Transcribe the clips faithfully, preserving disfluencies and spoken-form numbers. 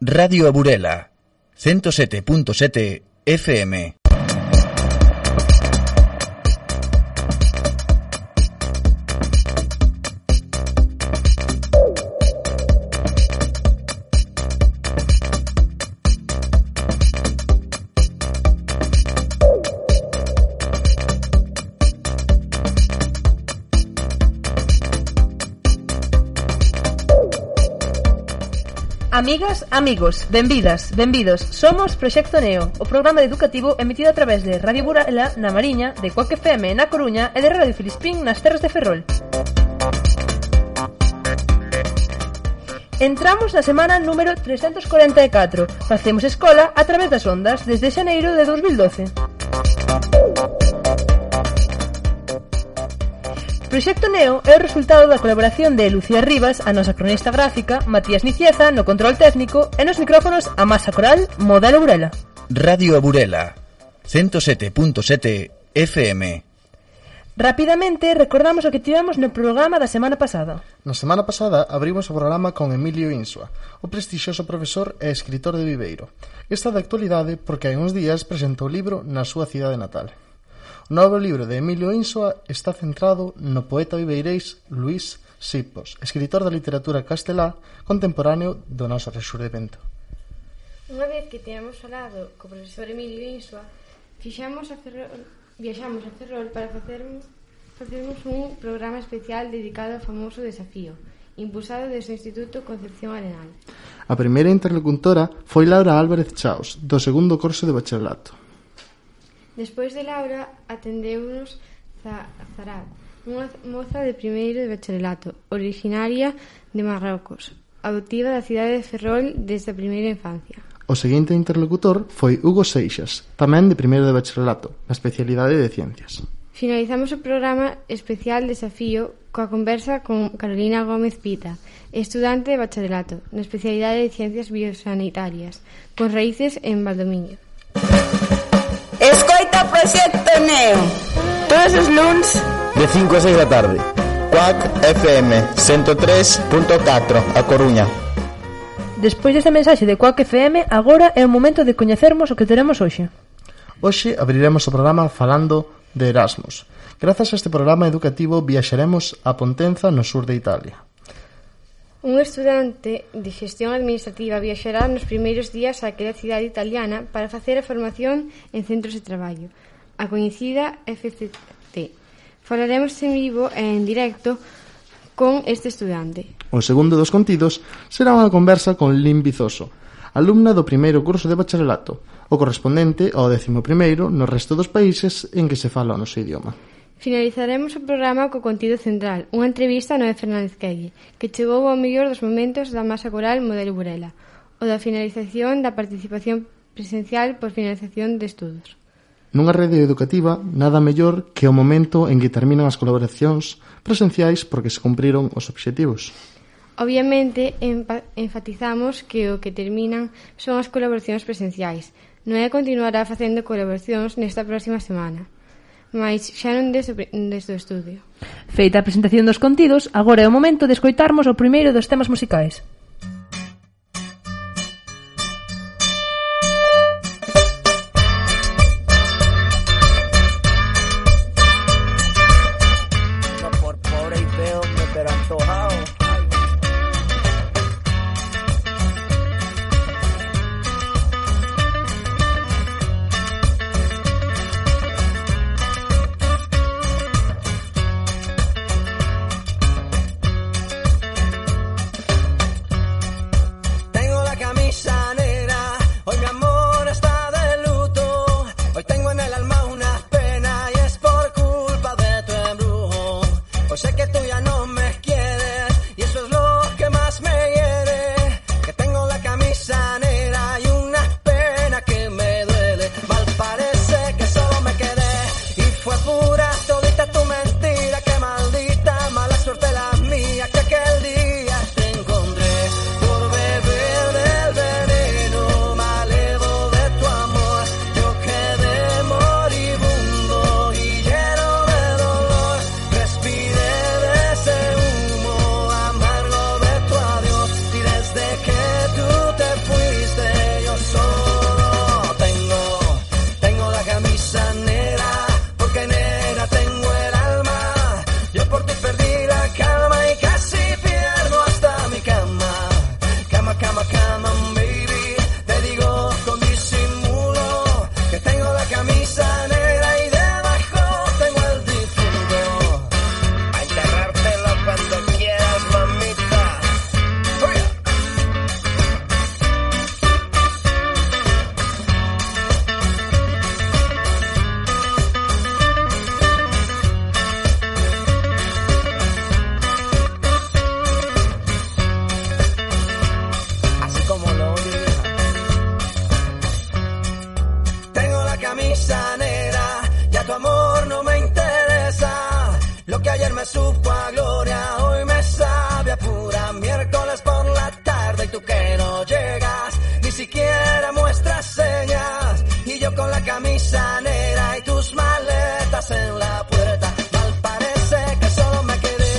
Radio A Burela, ciento sete punto sete F M. Amigas, amigos, benvidas, benvidos. Somos Proxecto Neo, o programa educativo emitido a través de Radio Burela na Mariña, de Cuac F M na Coruña e de Radio Filispín nas terras de Ferrol. Entramos na semana número trescentos cuarenta e catro. Facemos escola a través das ondas desde xaneiro de dos mil doce. Proxecto Neo é o resultado da colaboración de Lucía Rivas, a nosa cronista gráfica, Matías Nicieza, no control técnico, e nos micrófonos a Masa Coral, Modelo Burela. Radio A Burela, ciento sete punto sete F M. Rapidamente, recordamos o que tivemos no programa da semana pasada. Na semana pasada abrimos o programa con Emilio Insua, o prestixioso profesor e escritor de Viveiro. Está de actualidade porque hai uns días presentou o libro na súa cidade natal. O novo libro de Emilio Insua está centrado no poeta viveirés Luís Sipos, escritor da literatura castelá contemporáneo do noso rexurdimento. Unha vez que teñamos falado co profesor Emilio Insua, fixamos a Ferrol, viaxamos a Ferrol para facermos, facermos un programa especial dedicado ao famoso desafío, impulsado desde o Instituto Concepción Arenal. A primeira interlocutora foi Laura Álvarez Chaos, do segundo curso de bacharelato. Despois de Laura, atendeunos Zarab, unha moza de primeiro de bacharelato, originaria de Marrocos, adoptiva da cidade de Ferrol desde a primeira infancia. O seguinte interlocutor foi Hugo Seixas, tamén de primeiro de bacharelato, na especialidade de Ciencias. Finalizamos o programa especial Desafío coa conversa con Carolina Gómez Pita, estudante de bacharelato, na especialidade de Ciencias Biosanitarias, con raíces en Valdomiño. Escoita Proxecto Neo todos os luns de cinco a seis da tarde. Cuac F M ciento tres punto catro, A Coruña. Despois desta mensaxe de Cuac F M, agora é o momento de coñecermos o que teremos hoxe. Hoxe abriremos o programa falando de Erasmus. Grazas a este programa educativo viaxaremos a Pontenza, no sur de Italia. Un estudante de xestión administrativa viaxará nos primeiros días a aquela cidade italiana para facer a formación en centros de traballo, a coñecida F C T. Falaremos en vivo e en directo con este estudante. O segundo dos contidos será unha conversa con Lin Vizoso, alumna do primeiro curso de bacharelato, o correspondente ao décimo primeiro no resto dos países en que se fala o noso idioma. Finalizaremos o programa co contido central, unha entrevista a Noé Fernández Quelle, que chegou ao mellor dos momentos da Masa Coral Modelo Burela, o da finalización da participación presencial por finalización de estudos. Nunha rede educativa, nada mellor que o momento en que terminan as colaboracións presenciais porque se cumpriron os obxectivos. Obviamente, enfatizamos que o que terminan son as colaboracións presenciais. Noé continuará facendo colaboracións nesta próxima semana, mais xa non desde, desde o estudio. Feita a presentación dos contidos, agora é o momento de escoitarmos o primeiro dos temas musicais. No por pobre y feo, pero antojado. siquiera muestras señas. Y yo con la camisa negra y tus maletas en la puerta. Mal parece que solo me quedé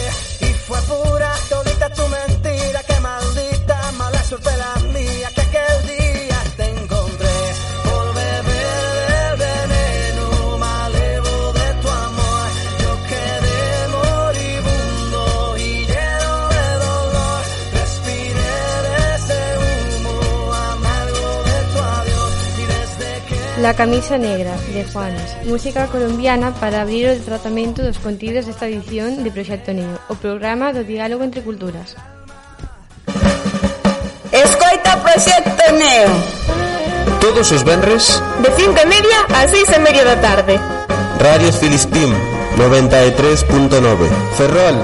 y fue pura todita tu mentira. Qué maldita mala suerte la mía que aquel día te encontré por beber del veneno malevo de tu amor. Yo quedé moribundo y lleno de dolor. Respiré de ese humo amargo de tu adiós y desde que... La camisa negra, de Juanes, música colombiana para abrir o tratamento dos contidos desta edición de Proxecto Neo, o programa do diálogo entre culturas. Escoita Proxecto Neo Todos os venres de cinco e media a seis e media da tarde. Radio Filispín noventa e tres punto nove Ferrol.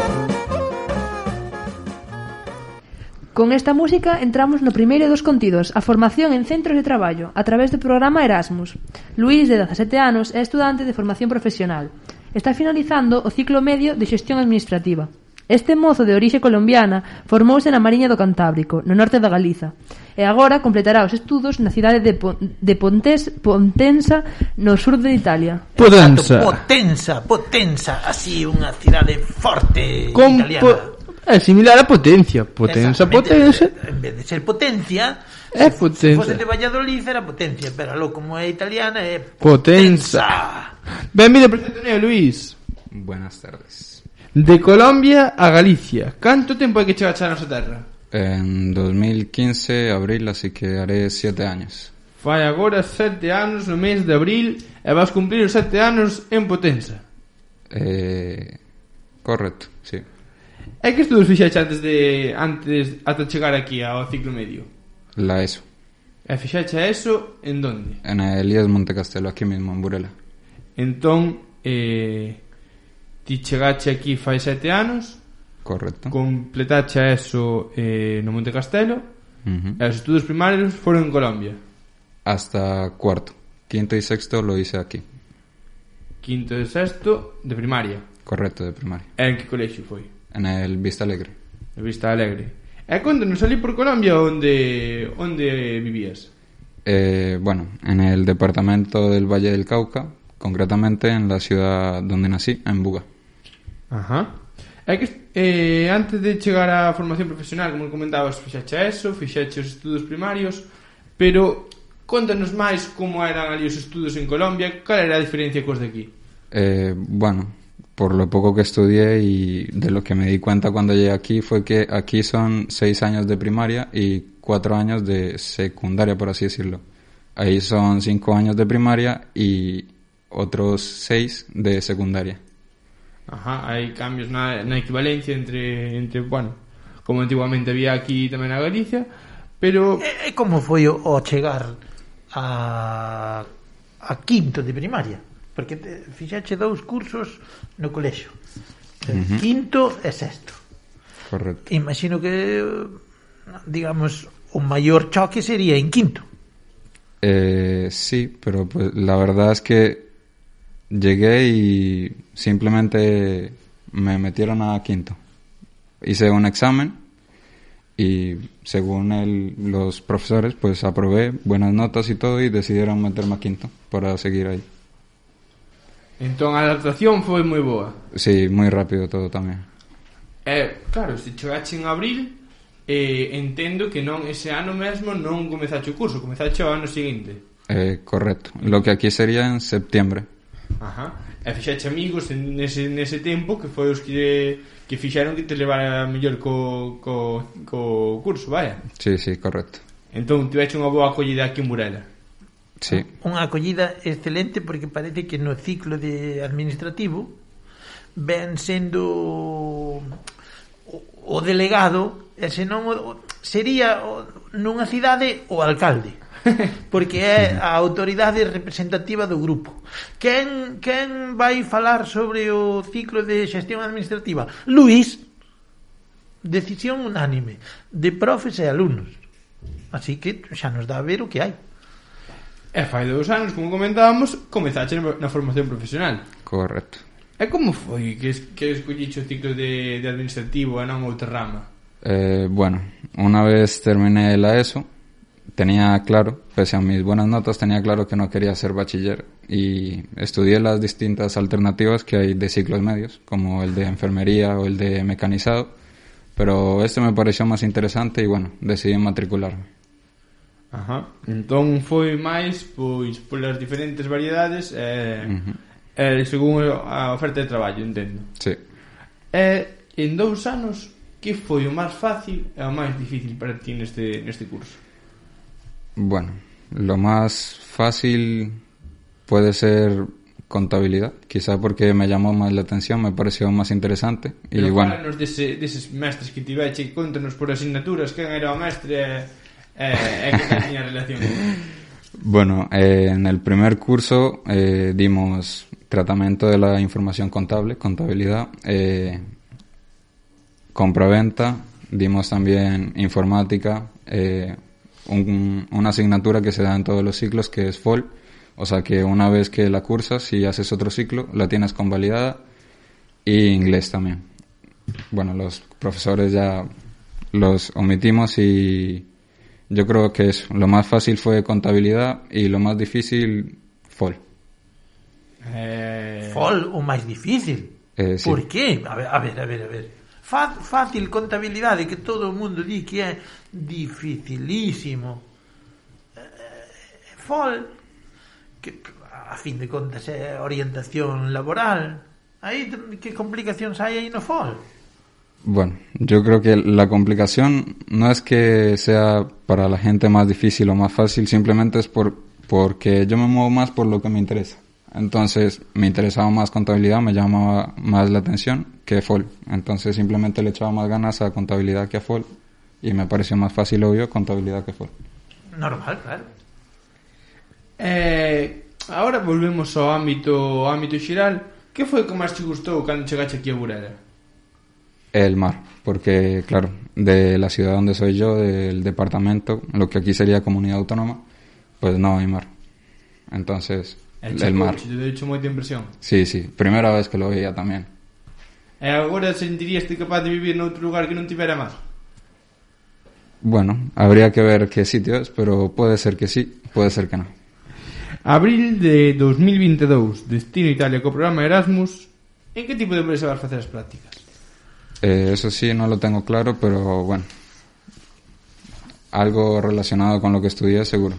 Con esta música entramos no primeiro dos contidos, a formación en centros de traballo, a través do programa Erasmus. Luís, de dezasete anos, é estudante de formación profesional. Está finalizando o ciclo medio de xestión administrativa. Este mozo de orixe colombiana formouse na Mariña do Cantábrico, no norte da Galiza, e agora completará os estudos na cidade de, Pon- de Pontes, Pontensa, no sur de Italia. Potenza. Potenza, Potenza, así unha cidade forte Con italiana. po- É similar a Potencia. Potenza, Potenza. En vez de ser Potencia, É se Potenza. fose de Valladolid era Potencia, pero aló, como é italiana é Potenza. Benvido, Proxecto Neo, Luís. Buenas tardes. De Colombia a Galicia. Canto tempo hai que chegar a nosa terra? En dos mil quince, abril, así que haré siete años. Fai agora sete anos no mes de abril e vas cumplir os sete anos en Potenza. Eh, correcto, sí. E que estudos fixaxe antes de antes ata chegar aquí ao ciclo medio? La ESO. E fixaxe eso en donde? En el Elías Montecastelo, aquí mismo, en Burela. Entón, eh, ti chegache aquí fai sete anos. Correcto. Completache eso eh, no Monte Castelo. Uh-huh. E os estudos primarios foron en Colombia. Hasta cuarto. Quinto y sexto lo hice aquí. Quinto e sexto de primaria. Correcto, de primaria. E en que colexio foi? En el Vista Alegre. En Vista Alegre. E contanos, salí por Colombia onde onde vivías? Eh, bueno, en el departamento del Valle del Cauca, concretamente en la ciudad donde nací, en Buga. Ajá. É que eh, antes de chegar á formación profesional, como comentabas, fixache eso, fixache os estudos primarios, pero contanos máis como eran ali os estudos en Colombia, cal era a diferencia cos de aquí? Eh, bueno, por lo poco que estudié y de lo que me di cuenta cuando llegué aquí fue que aquí son seis años de primaria y cuatro años de secundaria, por así decirlo. Ahí son cinco años de primaria y otros seis de secundaria. Ajá, hai cambios na, na equivalencia entre, entre, bueno, como antiguamente había aquí tamén na Galicia, pero... E, e como foi o, o chegar a, a quinto de primaria? Porque te, fixache dous cursos no colexio, uh-huh. Quinto e sexto. Correcto. Imagino que, digamos, o maior choque sería en quinto. Eh, sí, pero pues la verdad es que llegué y simplemente me metieron a quinto. Hice un examen y según el, los profesores pues aprobé buenas notas y todo y decidieron meterme a quinto para seguir ahí. Entón a adaptación foi moi boa. Sí, moi rápido todo tamén. Eh, claro, se chegache en abril, eh, entendo que non ese ano mesmo non comezache o curso, comezache o ano seguinte. Eh, correcto. Lo que aquí sería en septiembre. Ajá. E fixache amigos en nese, nese tempo que foi os que, que fixaron que te levara mellor co, co, co curso, vaya. Sí, sí, correcto. Entón, tiveche unha boa acollida aquí en Burela. Sí. Unha acollida excelente porque parece que no ciclo de administrativo ven sendo o, o delegado e senón o, sería o, nunha cidade o alcalde porque é a autoridade representativa do grupo. Quen, quen vai falar sobre o ciclo de xestión administrativa? Luís. Decisión unánime de profes e alumnos, así que xa nos dá a ver o que hai. E fai dous anos, como comentábamos, comezaste na formación profesional. Correcto. E como foi que, que escolliche o ciclo de, de administrativo e non outra rama? Eh, bueno, una vez terminé la ESO, tenía claro, pese a mis buenas notas, tenía claro que no quería ser bachiller y estudié las distintas alternativas que hay de ciclos medios, como el de enfermería o el de mecanizado, pero este me pareció más interesante y bueno, decidí matricularme. Ajá. Entón foi máis pois polas diferentes variedades eh, uh-huh. eh, según a oferta de traballo, entendo. Sí. Eh, en dous anos, que foi o máis fácil e o máis difícil para ti neste, neste curso? Bueno, lo más fácil puede ser contabilidad, quizá porque me llamó más la atención, me pareció más interesante. Pero y bueno, fálanos dese, deses mestres que tiveche, contanos por asignaturas quen era o mestre e eh, que tenía relación. Bueno, eh, en el primer curso eh, dimos tratamiento de la información contable, contabilidad, eh, compraventa, dimos también informática, eh, un, una asignatura que se da en todos los ciclos que es F O L, o sea que una vez que la cursas, si haces otro ciclo, la tienes convalidada, y inglés también. Bueno, los profesores ya los omitimos y yo creo que eso, lo más fácil fue contabilidad y lo más difícil F O L. Eh... F O L o máis difícil? Eh, sí. Por qué? A ver, a ver, a ver, a ver. Fácil contabilidade que todo o mundo di que é dificilísimo. F O L, que a fin de contas é orientación laboral. Aí que complicacións hai aí no F O L? Bueno, yo creo que la complicación no es que sea para la gente más difícil o más fácil, simplemente es por porque yo me muevo más por lo que me interesa. Entonces, me interesaba más contabilidad, me llamaba más la atención que F O L. Entonces, simplemente le echaba más ganas a contabilidad que a F O L y me pareció más fácil, obvio, contabilidad que F O L. Normal, claro. Eh, ahora volvemos ao ámbito, ao ámbito xeral. Que foi o que máis te gustou cando chegaste aquí a Burela? El mar, porque claro, de la ciudad donde soy yo, del departamento, lo que aquí sería comunidad autónoma, pues no hay mar. Entonces, el, el mar. Te he hecho moita impresión. Sí, sí, primera vez que lo veía también. E agora sentirías capaz de vivir noutro lugar que non tivera mar? Bueno, habría que ver qué sitio es, pero puede ser que sí, puede ser que no. Abril de dos mil veintidós, destino Italia co programa Erasmus. En que tipo de empresa vas facer as prácticas? Eh, eso sí, no lo tengo claro, pero bueno, algo relacionado con lo que estudié, seguro.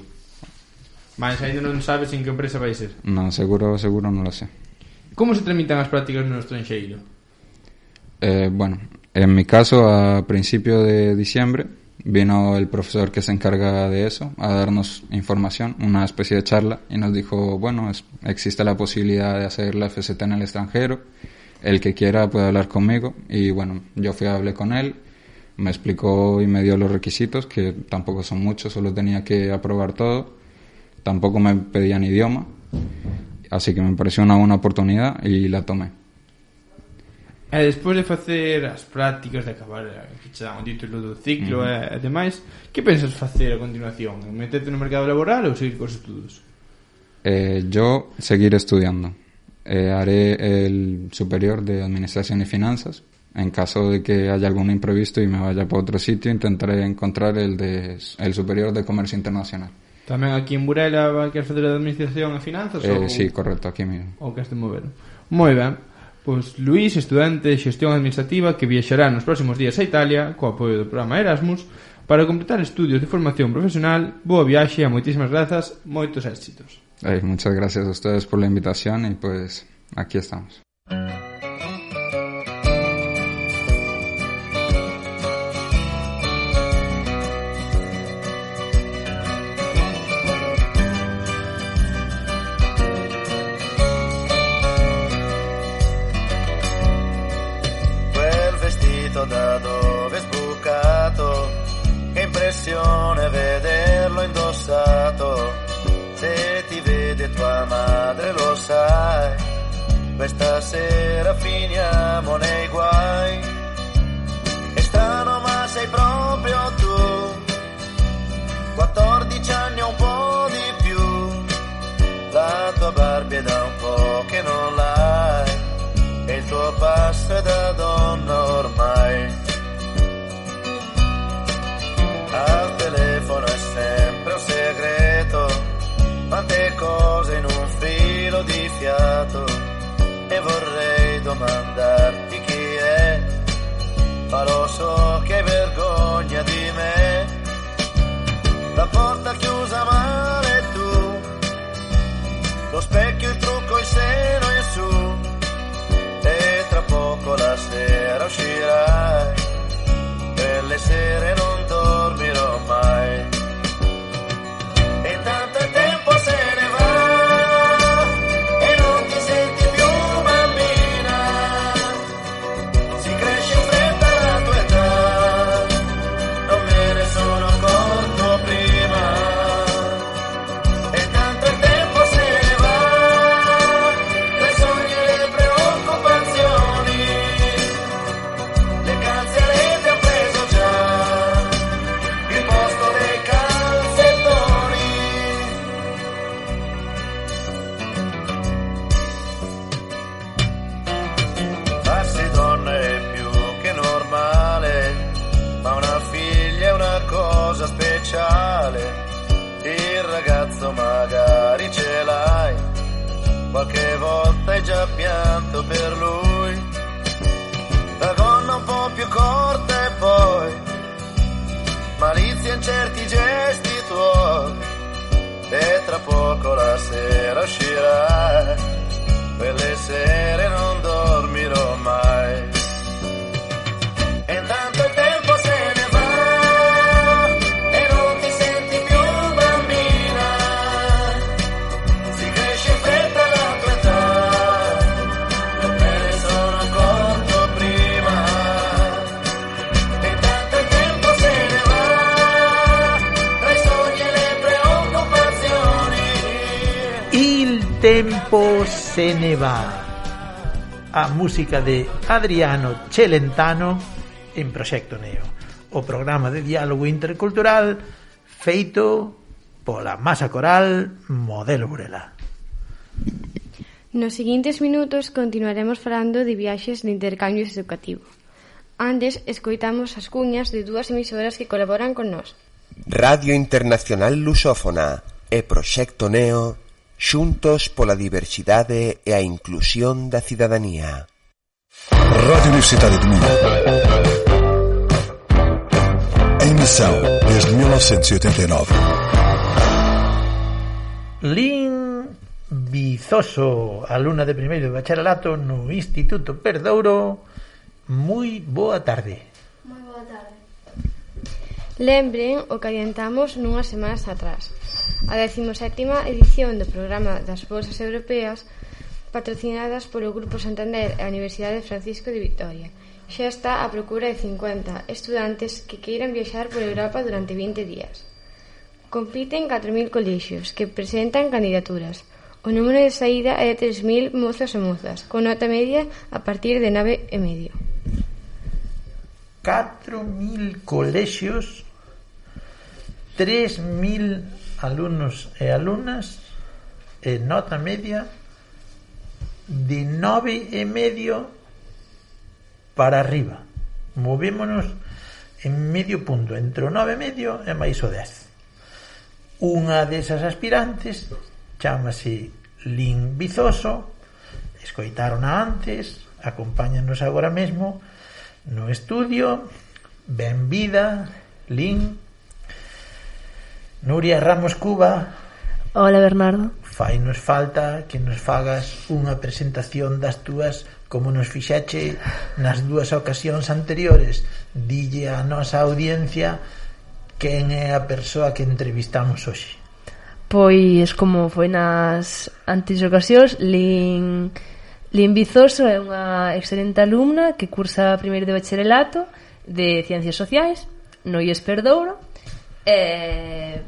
Mas ainda non sabes en que empresa vai ser? No, seguro, seguro no lo sé. Como se tramitan as prácticas no estranxeiro? Eh, bueno, en mi caso, a principio de diciembre, vino el profesor que se encarga de eso a darnos información, una especie de charla, y nos dijo, bueno, es, existe la posibilidad de hacer la F S T en el extranjero. El que quiera puede hablar conmigo y bueno, yo fui a hablar con él, me explicó y me dio los requisitos, que tampoco son muchos, solo tenía que aprobar todo, tampoco me pedían idioma, así que me pareció una buena oportunidad y la tomé. E despois de facer as prácticas, de acabar que che dan o título do ciclo uh-huh. e demais, que pensas facer a continuación? Meterte no mercado laboral ou seguir cos estudos? Eh, yo seguir estudiando. Eh, haré el superior de Administración y Finanzas. En caso de que haya algún imprevisto y me vaya para otro sitio, intentaré encontrar el de el superior de Comercio Internacional. Tamén aquí en Burela vai querer fazer a Administración e Finanzas? Eh, ou... Sí, correcto, aquí mismo. Ou que este mover. Moi ben. Pois Luís, estudante de Xestión Administrativa, que viaxará nos próximos días a Italia co apoio do programa Erasmus para completar estudios de formación profesional. Boa viaxe e moitísimas grazas, moitos éxitos. Eh, muchas gracias a ustedes por la invitación y pues aquí estamos. Quel vestito da dove è sbucato, che impressione vederlo indossato. Se ti vede tua madre lo sai, questa sera finiamo nei guai. È strano ma sei proprio tu, quattordici anni o un po' di più. La tua Barbie è da un po' che non l'hai, e il tuo passo è da donna ormai. Al telefono è sempre magari ce l'hai, qualche volta hai già pianto per lui, la gonna un po' più corta e poi malizia in certi gesti tuoi, e tra poco la sera uscirai, quelle sere non dormirò mai. E intanto il tempo se ne va e non ti senti più bambina, si cresce in fretta la tua età, me ne sono accorto prima. E intanto il tempo se ne va tra i sogni e le preoccupazioni. Il tempo se ne va. A música de Adriano Celentano en Proxecto Neo, o programa de diálogo intercultural feito pola Masa Coral Modelo Burela. Nos seguintes minutos continuaremos falando de viaxes de intercambio educativo. Antes, escoitamos as cuñas de dúas emisoras que colaboran con nós. Radio Internacional Lusófona e Proxecto Neo, xuntos pola diversidade e a inclusión da cidadanía. Radio Universidade de Minho. Em missão desde mil novecentos e oitenta e nove. Lin Vizoso, alumna de primeiro de bacharelato no Instituto Perdouro. Moi boa tarde. Moi boa tarde. Lembren o que adiantamos nunhas semanas atrás. A decimosétima edición do programa das Bolsas Europeas, patrocinadas polo Grupo Santander e a Universidade Francisco de Vitoria, xa está á procura de cincuenta estudantes que queiran viaxar por Europa durante vinte días. Compiten catro mil colexios que presentan candidaturas. O número de saída é de tres mil mozos e mozas, con nota media a partir de nove e medio. catro mil colexios, tres mil alumnos e alumnas, e nota media de nove e medio para arriba. Movémonos en medio punto entre o nove e medio e máis o dez. Unha desas aspirantes chámase Lin Vizoso, escoitarona antes, acompáñanos agora mesmo no estudio. Benvida, Lin. Nuria Ramos Cuba. Hola, Bernardo. Fai nos falta que nos fagas unha presentación das túas como nos fixache nas dúas ocasións anteriores. Dille a nosa audiencia quen é a persoa que entrevistamos hoxe. Pois, como foi nas antes ocasións, Lin, Lin Vizoso é unha excelente alumna que cursa primeiro de bacharelato de Ciencias Sociais no I E S Perdouro. E,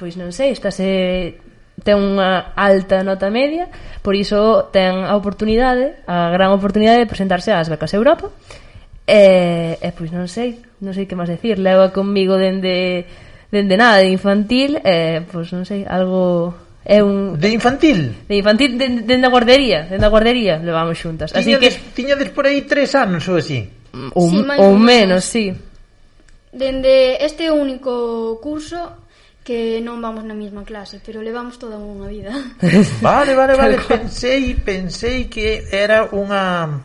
pois non sei, estase ten unha alta nota media, por iso ten a oportunidade, a gran oportunidade de presentarse ás becas Europa. E, e pois non sei, non sei que máis decir. Leva comigo dende dende nada de infantil, e pois non sei, algo é un de infantil. De infantil dende, dende a guardería, dende a guardería levamos xuntas. Así tiñades, que tiñades por aí tres anos ou así. Ou, sí, ou menos, sí. Dende este único curso que non vamos na mesma clase, pero levamos toda unha vida. Vale, vale, vale. Pensei, pensei que era unha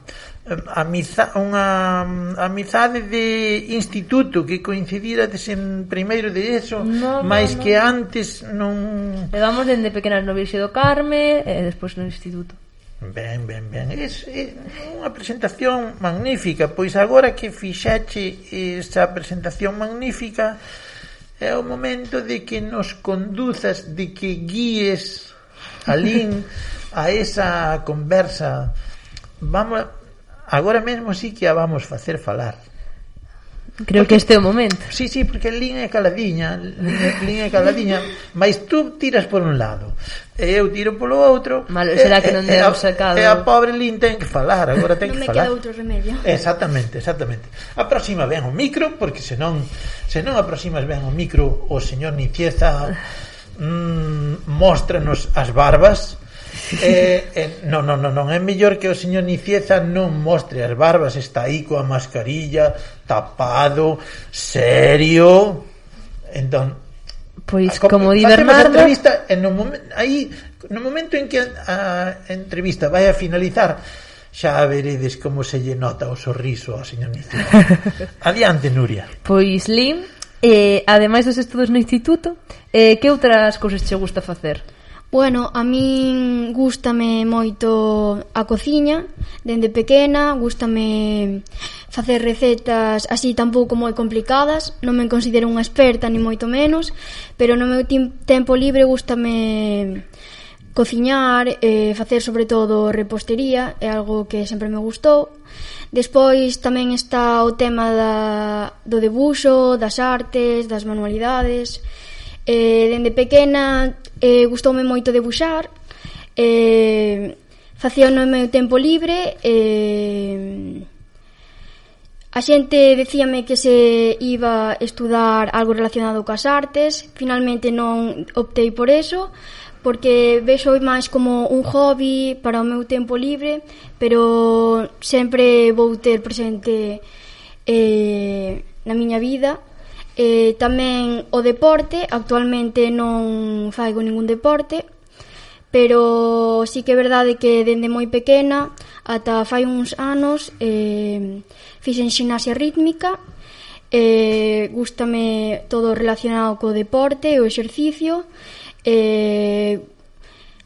amiza, unha amizade de instituto, que coincidírades en primeiro de eso, no, máis no, no. que antes non... Levamos dende pequenas no Virxe do Carme e despois no instituto. Ben, ben, ben. É, é unha presentación magnífica. Pois agora que fixache esa presentación magnífica, é o momento de que nos conduzas, de que guíes a Lin a esa conversa. Vamos, agora mesmo sí que a vamos facer falar. Creo porque, que este é o momento. Sí, sí, porque Lin é caladiña, Lin é caladiña, mas tú tiras por un lado e eu tiro polo outro. Malo, será que non demos sacado. E a pobre Lin ten que falar, agora ten non que falar. Non me queda outro remedio. Exactamente, exactamente. A próxima ven o micro, porque senón senón a próxima ven o micro o señor Nicieza mmm, móstranos as barbas. eh, eh, non, non, non, non é mellor que o señor Nicieza non mostre as barbas, está aí coa mascarilla, tapado, serio. Entón, Pois, a, como di Bernardo... Bernardo... entrevista, e no, momen, aí, no momento en que a, a entrevista vai a finalizar, xa veredes como se lle nota o sorriso ao señor Nicio. Adiante, Nuria. Pois, Lim, eh, ademais dos estudos no instituto, eh, que outras cousas che gusta facer? Bueno, a min gústame moito a cociña, dende pequena, gústame facer recetas así tampouco moi complicadas, non me considero unha experta ni moito menos, pero no meu tempo libre gústame cociñar, eh, facer sobre todo repostería, é algo que sempre me gustou. Despois tamén está o tema da, do debuxo, das artes, das manualidades. Eh, dende pequena eh, gustoume moito debuxar, eh, facía no meu tempo libre, eh, a xente decíame que se iba a estudar algo relacionado coas artes, finalmente non optei por eso, porque vexo máis como un hobby para o meu tempo libre, pero sempre vou ter presente eh, na miña vida. Eh, tamén o deporte, actualmente non faigo ningún deporte, pero sí que é verdade que dende moi pequena ata fai uns anos eh, fixen ximnasia rítmica, eh, gústame todo relacionado co deporte e o exercicio, eh,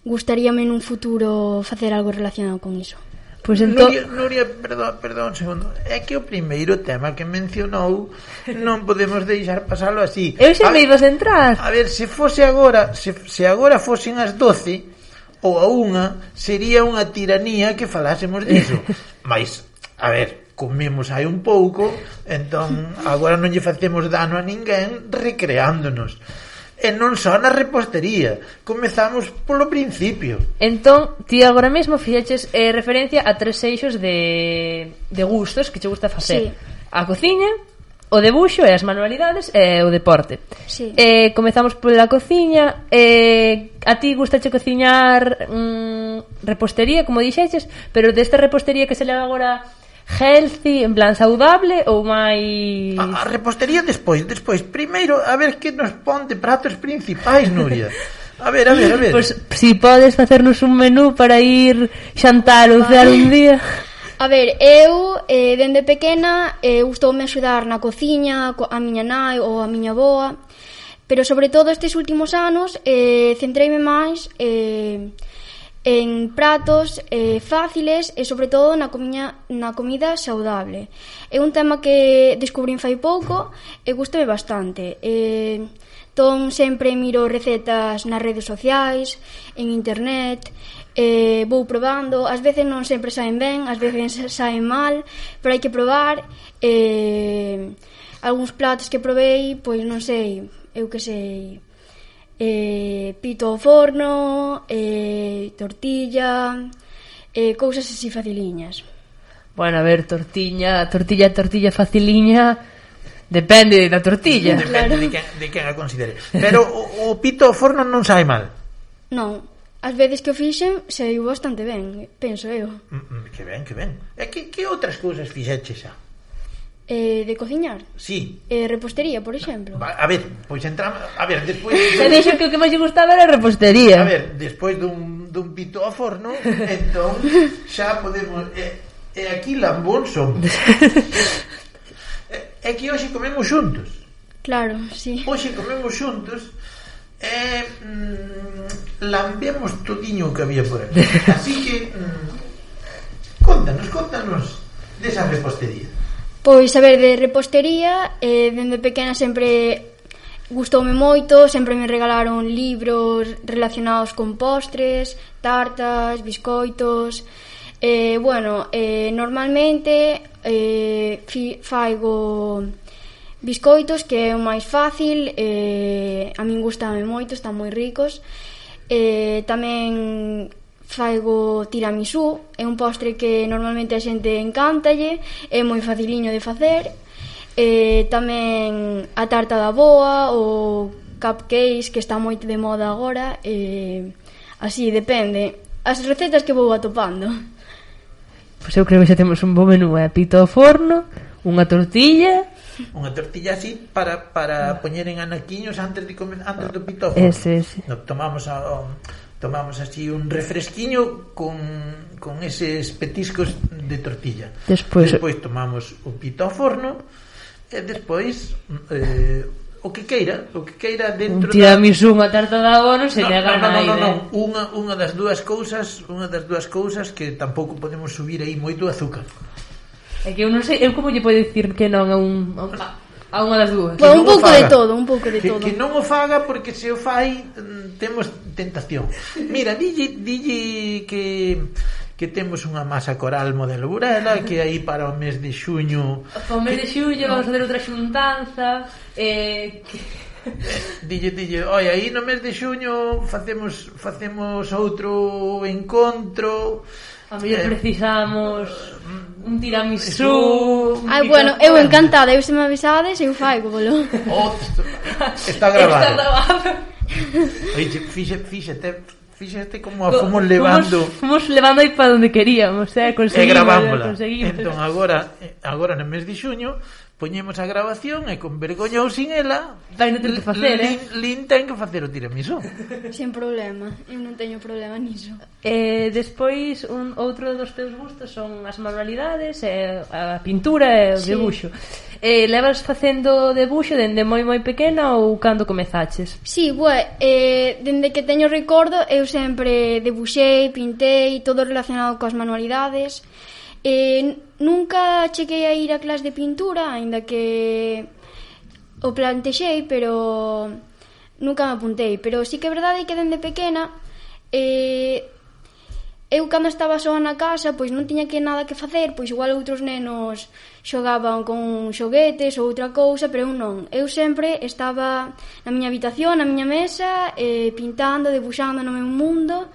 gustaríame nun futuro facer algo relacionado con iso. Pues ento... Nuria, Nuria, perdón, perdón un segundo. É que o primeiro tema que mencionou non podemos deixar pasalo así. Eu xa me ibas a entrar. A ver, se fose agora, se, se agora fosen as doce ou a unha, sería unha tiranía que falásemos diso. Mas, a ver, comemos hai un pouco, entón agora non lle facemos dano a ninguén recreándonos. E non só na repostería, comezamos polo principio. Entón, ti agora mesmo fixeches eh, referencia a tres eixos de, de gustos que che gusta facer. Sí. A cociña, o debuxo e as manualidades e o deporte. Sí. Eh, comezamos pola cociña. Eh, a ti gustache cociñar mm, repostería, como dixeches, pero desta repostería que se leva agora healthy, en plan saudable ou máis... A, a repostería despois, despois. Primeiro, a ver que nos pon de pratos principais, Nuria. A ver, a ver, a ver. Pois, pues, si podes facernos un menú para ir xantar ou cear un día... A ver, eu, eh, dende pequena, eh, gustoume axudar na cociña, a miña nai ou a miña boa, pero sobre todo estes últimos anos eh, centreime máis... Eh, en pratos eh, fáciles e sobre todo na, comiña, na comida saudable. É un tema que descubrín fai pouco e gustame bastante. Eh, ton sempre miro recetas nas redes sociais, en internet, eh, vou probando, ás veces non sempre saen ben, ás veces saen mal, pero hai que probar. Eh, algúns platos que probei, pois non sei, eu que sei... Eh, pito ao forno, eh, tortilla, eh, cousas así faciliñas. Bueno, a ver, tortilla, tortilla, tortilla faciliña, depende da tortilla. Depende claro. de, quen, de quen a considere. Pero o, o pito ao forno non sai mal. Non, as veces que o fixen saiu bastante ben, penso eu. Mm, que ben, que ben. E que, que outras cousas fixeches xa? Eh, de cociñar? Sí. Eh, repostería, por exemplo. A ver, pois entramos... A ver, despois... Se dixo que o que máis lle gustaba era repostería. A ver, despois dun, dun pito ao forno, entón xa podemos... E, e aquí lambón somos. É, é que hoxe comemos xuntos. Claro, sí. Hoxe comemos xuntos e mm, lambemos todiño o que había por aquí. Así que... Mm, contanos, contanos desa repostería. Pois, a ver, de repostería, eh, dende pequena sempre gustoume moito, sempre me regalaron libros relacionados con postres, tartas, biscoitos. Eh, bueno, eh, normalmente eh, fi, faigo biscoitos, que é o máis fácil, eh, a min gustame moito, están moi ricos. Eh, tamén... faigo tiramisú, é un postre que normalmente a xente encántalle, é moi faciliño de facer. E tamén a tarta da boa ou cupcakes, que está moito de moda agora, e así depende as recetas que vou atopando. Pois eu creo que xa temos un bo menú, eh? Pito ao forno, unha tortilla, unha tortilla así para, para poñer en anaquiños antes de comer, antes do pitófono. Ese, ese. No, tomamos a, tomamos así un refresquiño con, con eses petiscos de tortilla. Despois, despois tomamos o pito ao forno e despois eh, o que queira, o que queira dentro un tiramisú, unha tarta de abo non se no, nega no, no, nada. No, no, no, unha, unha das dúas cousas, unha das dúas cousas que tampouco podemos subir aí moito azúcar. É que eu non sei, eu como lle podo dicir que non a un a unha das dúas. Bueno, un pouco de todo, un pouco de que, todo. Que non o faga porque se o fai temos tentación. Mira, dille, dille que que temos unha masa coral modelo Burela, que aí para o mes de xuño... Para o mes de xuño vamos a facer outra xuntanza, eh... Que... Dille, dille, oi, aí no mes de xuño facemos facemos outro encontro... A mellor precisamos un tiramisú... Ai, bueno, eu encantada, eu se me avisades, eu faigo, bolo. Oh, está grabado. Está grabado. Oye, fixe, fíxate... Fíxate como a fomos levando fomos, fomos levando aí para onde queríamos, eh, conseguimos, e gravámola. conseguimos. Entón agora agora no mes de xuño poñemos a grabación e con vergoña ou sin ela vai non ter que facer, Lin, eh? Lin ten que facer o tiramisú. Sin problema, eu non teño problema niso. Eh, despois un outro dos teus gustos son as manualidades, eh, a pintura e o sí. debuxo. Eh, levas facendo debuxo dende moi moi pequena ou cando comezaches? Sí, bue, eh, dende que teño recordo eu sempre debuxei, pintei, todo relacionado coas manualidades. Eh, nunca cheguei a ir a clase de pintura, aínda que o plantexei, pero nunca me apuntei. Pero sí que é verdade que dende pequena eh, eu cando estaba soa na casa, pois non tiña que nada que facer, pois igual outros nenos xogaban con xoguetes ou outra cousa, pero eu non. Eu sempre estaba na miña habitación, na miña mesa, eh, pintando, debuxando no meu mundo.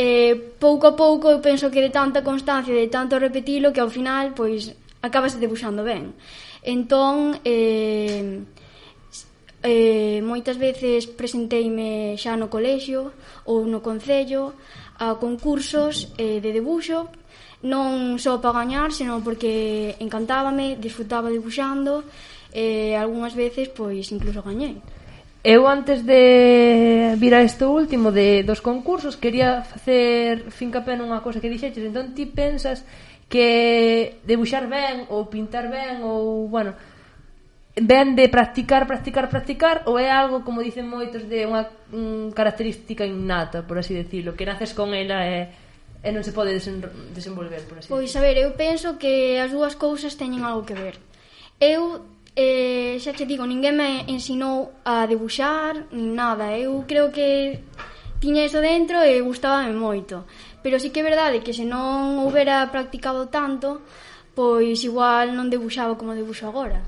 Eh, pouco a pouco eu penso que de tanta constancia, de tanto repetilo, que ao final, pois, acabas debuxando ben. Entón, eh, eh, moitas veces presenteime xa no colexio ou no concello a concursos eh, de debuxo, non só para gañar, senón porque encantábame, disfrutaba debuxando, e eh, algunhas veces pois incluso gañei. Eu antes de vir a isto último de dos concursos quería facer fincapé nunha cosa que dixeches, entón ti pensas que debuxar ben ou pintar ben ou, bueno, ben de practicar, practicar, practicar, ou é algo, como dicen moitos, de unha un, característica innata, por así decirlo, que naces con ela e, e non se pode desen, desenvolver, por así Pois, decirlo. a ver, eu penso que as dúas cousas teñen algo que ver. Eu, eh, xa te digo, ninguén me ensinou a debuxar, nin nada. Eu creo que tiña iso dentro e gustábame moito. Pero sí que é verdade que se non houbera practicado tanto, pois igual non debuxaba como debuxo agora.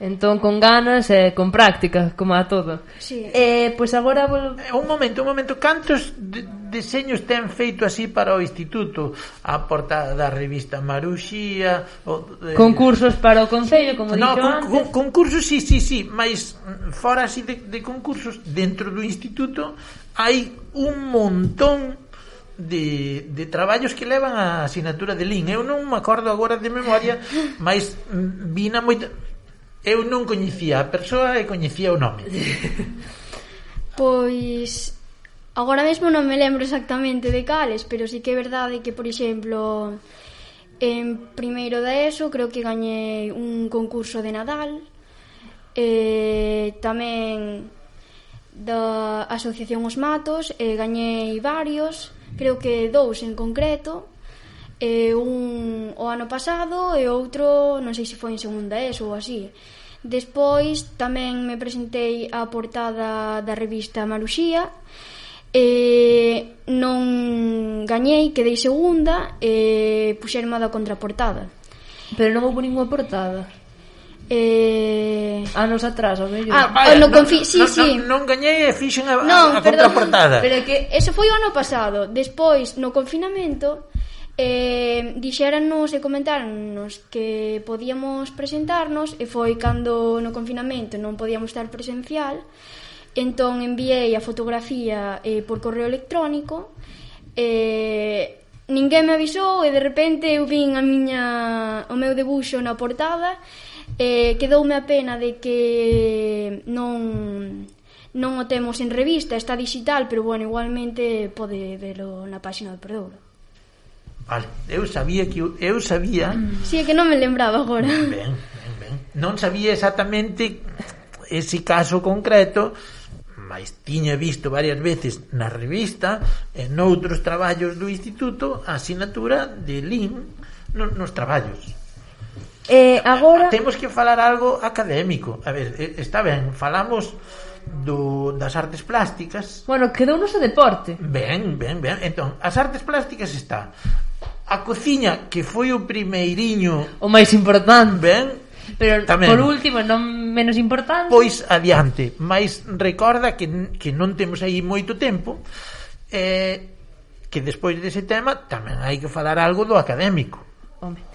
Entón, con ganas e con práctica, como a todo. Sí. Eh, pois agora vol... Un momento, un momento. Cantos de, deseños ten feito así para o instituto? A portada da revista Maruxía, o, eh... concursos para o concello, como no, dixo con, antes. Con, concursos, sí, sí, sí, mas fora así de, de concursos dentro do instituto hai un montón de, de traballos que levan a asignatura de Lin. Eu non me acordo agora de memoria, mas vina moita... Eu non coñecía a persoa e coñecía o nome. Pois agora mesmo non me lembro exactamente de cales, pero sí que é verdade que, por exemplo, en primeiro da ESO creo que gañei un concurso de Nadal, e tamén da Asociación Os Matos, e gañei varios, creo que dous en concreto. E un o ano pasado e outro non sei se foi en segunda ESO ou así. Despois tamén me presentei á portada da revista Maruxía e non gañei, quedei segunda e puxerme da contraportada. Pero non houve ninguna portada. Eh... anos atrás, ao mellor. Ah, vaya, no confi... sí, non, sí. Non, non gañei e fixen a, non, a, a contraportada. Pero é que eso foi o ano pasado. Despois, no confinamento, eh, dixérannos e comentáronnos que podíamos presentarnos, e foi cando no confinamento non podíamos estar presencial. Entón enviei a fotografía eh, por correo electrónico, e ninguén me avisou, e de repente eu vin a miña, o meu debuxo na portada, Eh, quedoume a pena de que non non o temos en revista, está digital, pero bueno, igualmente pode verlo na página do Perdouro. Vale, eu sabía que eu, eu sabía. Si, é que non me lembraba agora. Ben, ben, ben. Non sabía exactamente ese caso concreto, mas tiña visto varias veces na revista e noutros traballos do instituto a asignatura de L I M nos traballos. Eh, agora temos que falar algo académico. A ver, está ben, falamos do, das artes plásticas. Bueno, quedou no deporte. Ben, ben, ben. Entón, as artes plásticas está a cociña, que foi o primeiriño, o máis importante. Ben, pero tamén, por último, non menos importante. Pois adiante, mas recorda que, que non temos aí moito tempo, eh, que despois dese tema tamén hai que falar algo do académico. Home.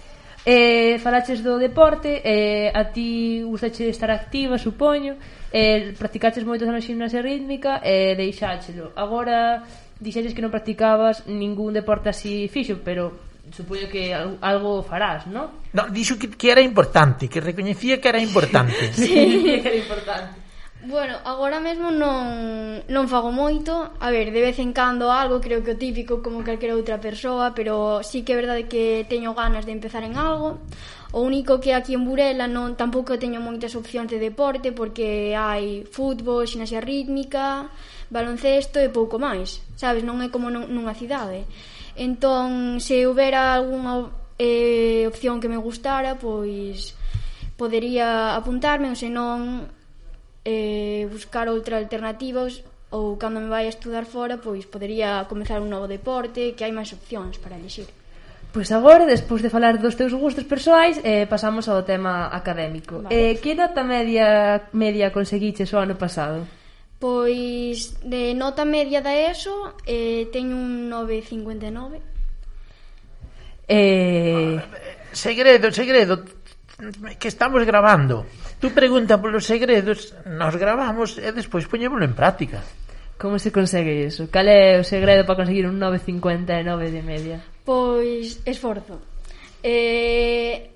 Eh, falaches do deporte, eh, a ti gustache estar activa, supoño, eh, practicaches moito na gimnasia rítmica e eh, deixáchelo. Agora dixeches que non practicabas ningún deporte así fixo, pero supoño que algo farás, non? Non, dixo que, que era importante, que recoñecía que era importante. Sí, que era importante. Bueno, agora mesmo non, non fago moito. A ver, de vez en cando algo, creo que o típico como calquera outra persoa, pero sí que é verdade que teño ganas de empezar en algo. O único que aquí en Burela non tampouco teño moitas opcións de deporte, porque hai fútbol, ximnasia rítmica, baloncesto e pouco máis, sabes? Non é como nunha cidade. Entón, se houbera algunha eh, opción que me gustara, pois podería apuntarme, ou senón eh, buscar outra alternativa, ou cando me vai a estudar fora, pois podería comezar un novo deporte, que hai máis opcións para elixir. Pois agora, despois de falar dos teus gustos persoais, eh, pasamos ao tema académico. Vale. Eh, que nota media media conseguiches o ano pasado? Pois de nota media da ESO eh, teño un nove vírgula cincuenta e nove. Eh... Segredo, segredo, que estamos grabando. Tú pregunta polos segredos, nos gravamos e despois poñémolo en práctica. Como se consegue iso? Cal é o segredo para conseguir un nove vírgula cincuenta e nove de media? Pois esforzo. Eh,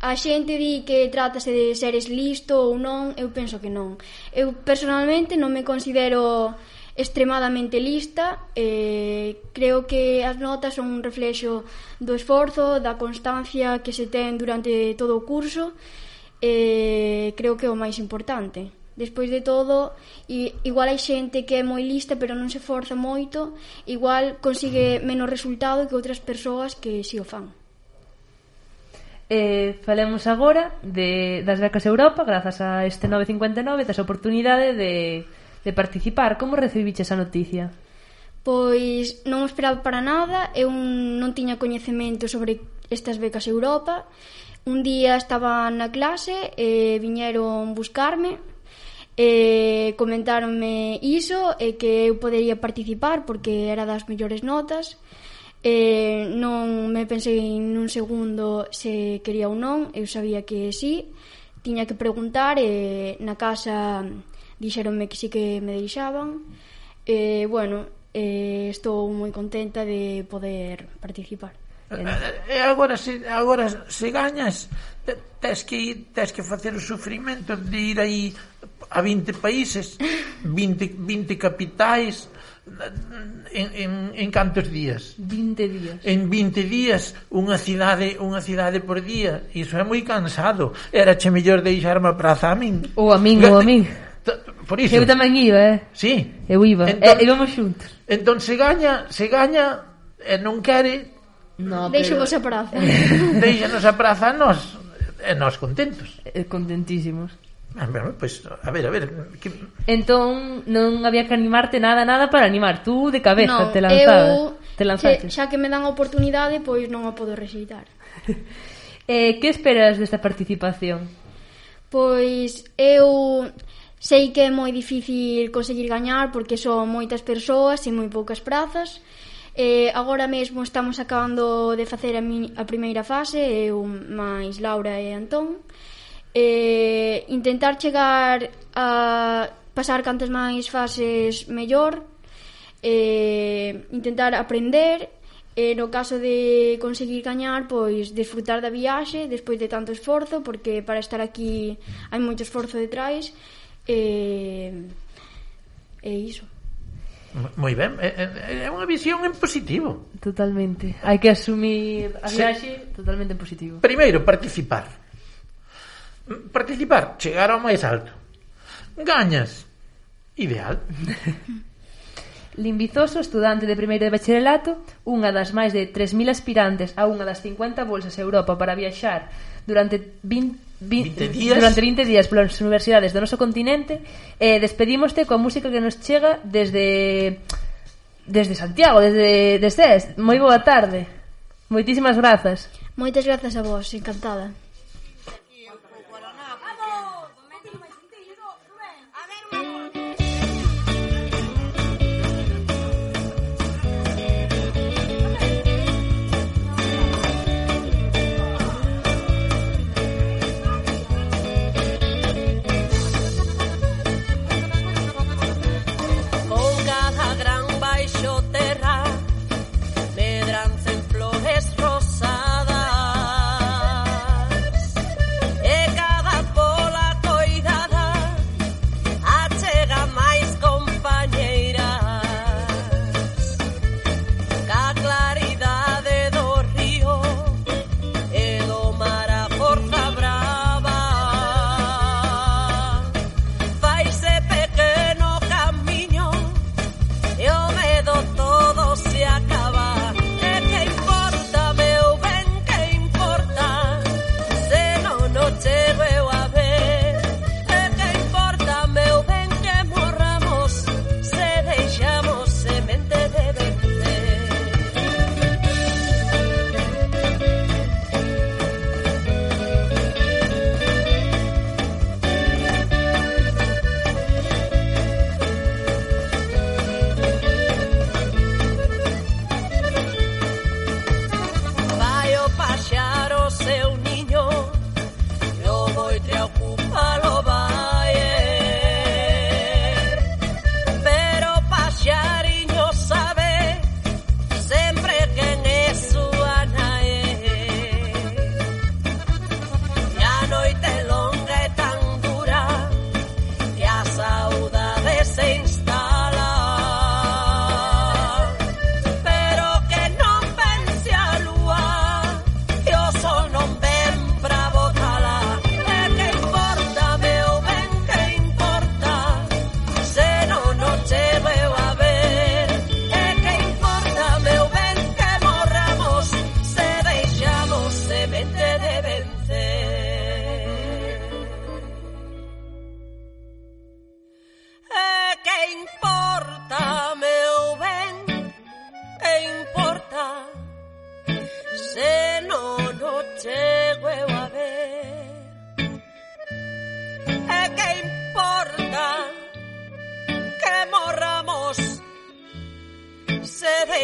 a xente di que trátase de seres listo ou non, eu penso que non. Eu personalmente non me considero extremadamente lista, eh, creo que as notas son un reflexo do esforzo, da constancia que se ten durante todo o curso. Eh, creo que é o máis importante. Despois de todo, igual hai xente que é moi lista pero non se forza moito, igual consigue menos resultado que outras persoas que si o fan. Eh, falemos agora de, das becas Europa. Grazas a este nove vírgula cincuenta e nove tes a oportunidade de, de participar. Como recibiches a noticia? Pois non o esperaba para nada. Eu non tiña coñecemento sobre estas becas Europa. Un día estaba na clase e viñeron buscarme e comentáronme iso e que eu podería participar porque era das mellores notas. E non me pensei nun segundo se quería ou non. Eu sabía que sí, tiña que preguntar e na casa dixeronme que sí que me deixaban. E bueno, e estou moi contenta de poder participar. E agora se, agora se gañas tes que, tes que facer o sufrimento de ir aí a vinte países, vinte, vinte capitais en, en, en cantos días? vinte días. En vinte días, unha cidade, unha cidade por día. Iso é moi cansado. Era che mellor deixarme a praza a min. Ou a min, ou a min. Por iso. Eu tamén iba, eh? Sí. Eu iba. Entón, e íbamos xuntos. Entón se gaña, se gaña e non quere. No, Deixamos pero... a praza. Deixanos a praza a nós. E nós contentos. Eh, contentísimos. Ah, bueno, pues, a ver, a ver que... Entón non había que animarte nada, nada para animar. Tú de cabeza no, te lanzabas. Eu, te lanzaste. Xa que me dan a oportunidade, pois non a podo rexeitar. eh, que esperas desta participación? Pois eu sei que é moi difícil conseguir gañar porque son moitas persoas e moi poucas prazas. Eh, agora mesmo estamos acabando de facer a, mi, a primeira fase, eu máis Laura e Antón. Eh, intentar chegar a pasar cantas máis fases mellor, eh, intentar aprender E no caso de conseguir gañar, pois desfrutar da viaxe despois de tanto esforzo, porque para estar aquí hai moito esforzo detrás. E e iso. Moi ben, é, é unha visión en positivo. Totalmente. Hai que asumir a viaxe sí. Totalmente en positivo. Primeiro, participar. Participar, chegar ao máis alto. Gañas. Ideal. Limbizoso, estudante de primeiro de bacharelato, unha das máis de tres mil aspirantes a unha das cincuenta bolsas a Europa para viaxar durante vinte, vinte, días. durante vinte días polas universidades do noso continente. E despedímoste coa música que nos chega desde desde Santiago, desde de Cés. Moi boa tarde. Moitísimas grazas. Moitas grazas a vos, encantada.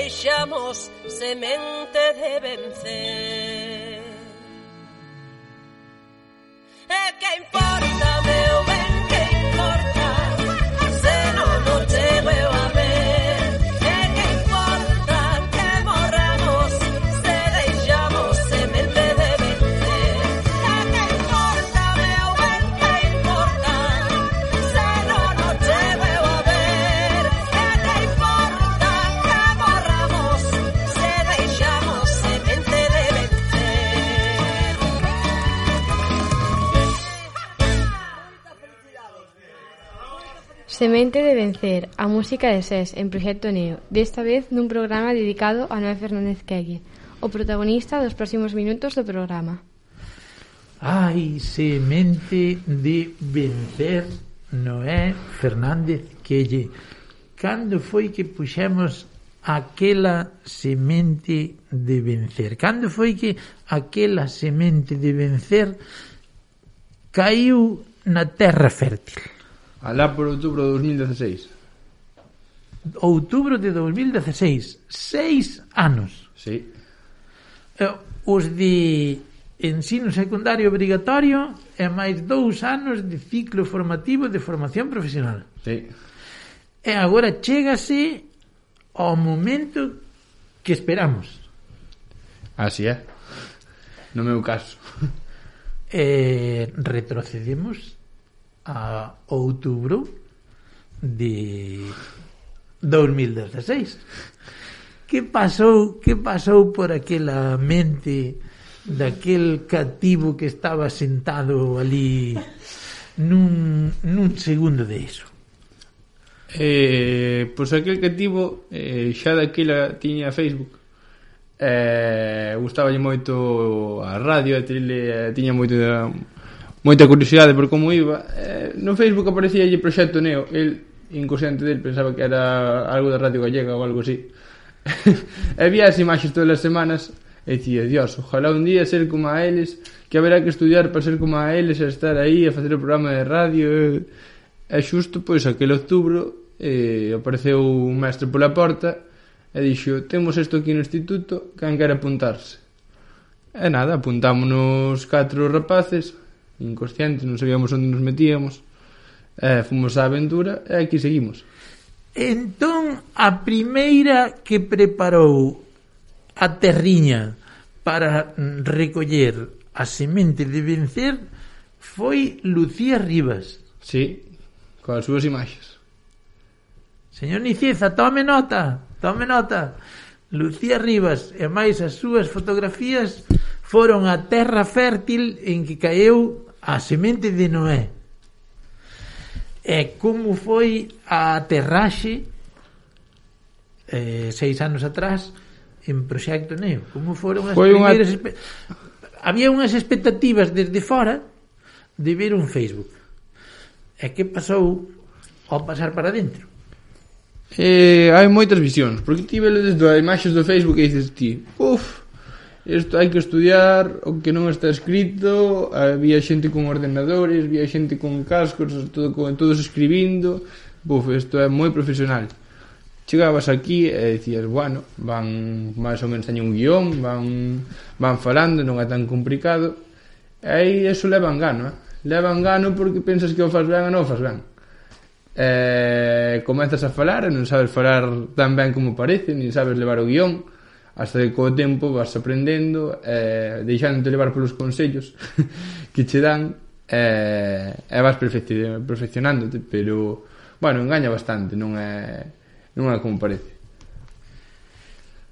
deixamos semente de vencer. E que importa, meu ben, que importa, se non o chego eu a ver. E que importa que morramos, se deixamos semente de vencer. E que importa, meu ben, que importa, se non o chego eu a ver. E que importa que morramos, se deixamos semente de vencer. Semente de vencer, a música de Sés en Proxecto Neo, desta vez nun programa dedicado a Noé Fernández Quelle, o protagonista dos próximos minutos do programa. Ai, semente de vencer, Noé Fernández Quelle. Cando foi que puxemos aquela semente de vencer? Cando foi que aquela semente de vencer caiu na terra fértil? Alá por outubro de dos mil dieciséis. Outubro de dos mil dieciséis. Seis anos. Sí. Eh, Os de ensino secundario obrigatorio e máis dous anos de ciclo formativo de formación profesional. Sí. E agora chégase ao momento que esperamos. Así é. No meu caso. Eh, retrocedemos a outubro de dos mil dezasseis. Que pasou, que pasou por aquela mente daquel cativo que estaba sentado ali nun, nun segundo de iso? Eh, pois aquel cativo eh, xa daquela tiña Facebook, eh, gustaballe moito a radio, a tele, eh, tiña moito de, moita curiosidade por como iba. Eh, no Facebook aparecía lle Proxecto Neo. El, inconsciente del, pensaba que era algo de Radio Gallega ou algo así. E vía as imaxes todas as semanas e dicía, Dios, ojalá un día ser como a eles, que haberá que estudiar para ser como a eles e estar aí a facer o programa de radio. E xusto, pois, aquel outubro eh, apareceu un mestre pola porta e dixo, temos isto aquí no instituto, quen quer apuntarse? E nada, apuntámonos catro rapaces inconscientes, non sabíamos onde nos metíamos, e fomos á aventura e aquí seguimos. Entón, a primeira que preparou a terriña para recoller a semente de vencer foi Lucía Rivas. Sí, coas súas imaxes. Señor Nicieza, tome nota, tome nota. Lucía Rivas e máis as súas fotografías foron a terra fértil en que caeu a semente de Noé. E como foi a aterraxe eh, seis anos atrás en Proxecto Neo? Como foron as foi primeiras unha... había unhas expectativas desde fora de ver un Facebook. E que pasou ao pasar para dentro? Eh, hai moitas visións, porque ti velo desde as imaxes do Facebook e dices ti, uff, isto hai que estudiar, o que non está escrito. Había xente con ordenadores, había xente con cascos, todo, con, todos escribindo. Buf, isto é moi profesional. Chegabas aquí e dicías, bueno, van máis ou menos teñen un guión, van, van falando, non é tan complicado. E aí eso leva engano, eh? Leva engano porque pensas que o faz ben ou non o faz ben. E comezas a falar e non sabes falar tan ben como parece, nin sabes levar o guión, hasta que co tempo vas aprendendo, eh, deixándote levar polos consellos que che dan, eh, e vas perfecci- perfeccionándote, pero bueno, engaña bastante, non é non é como parece.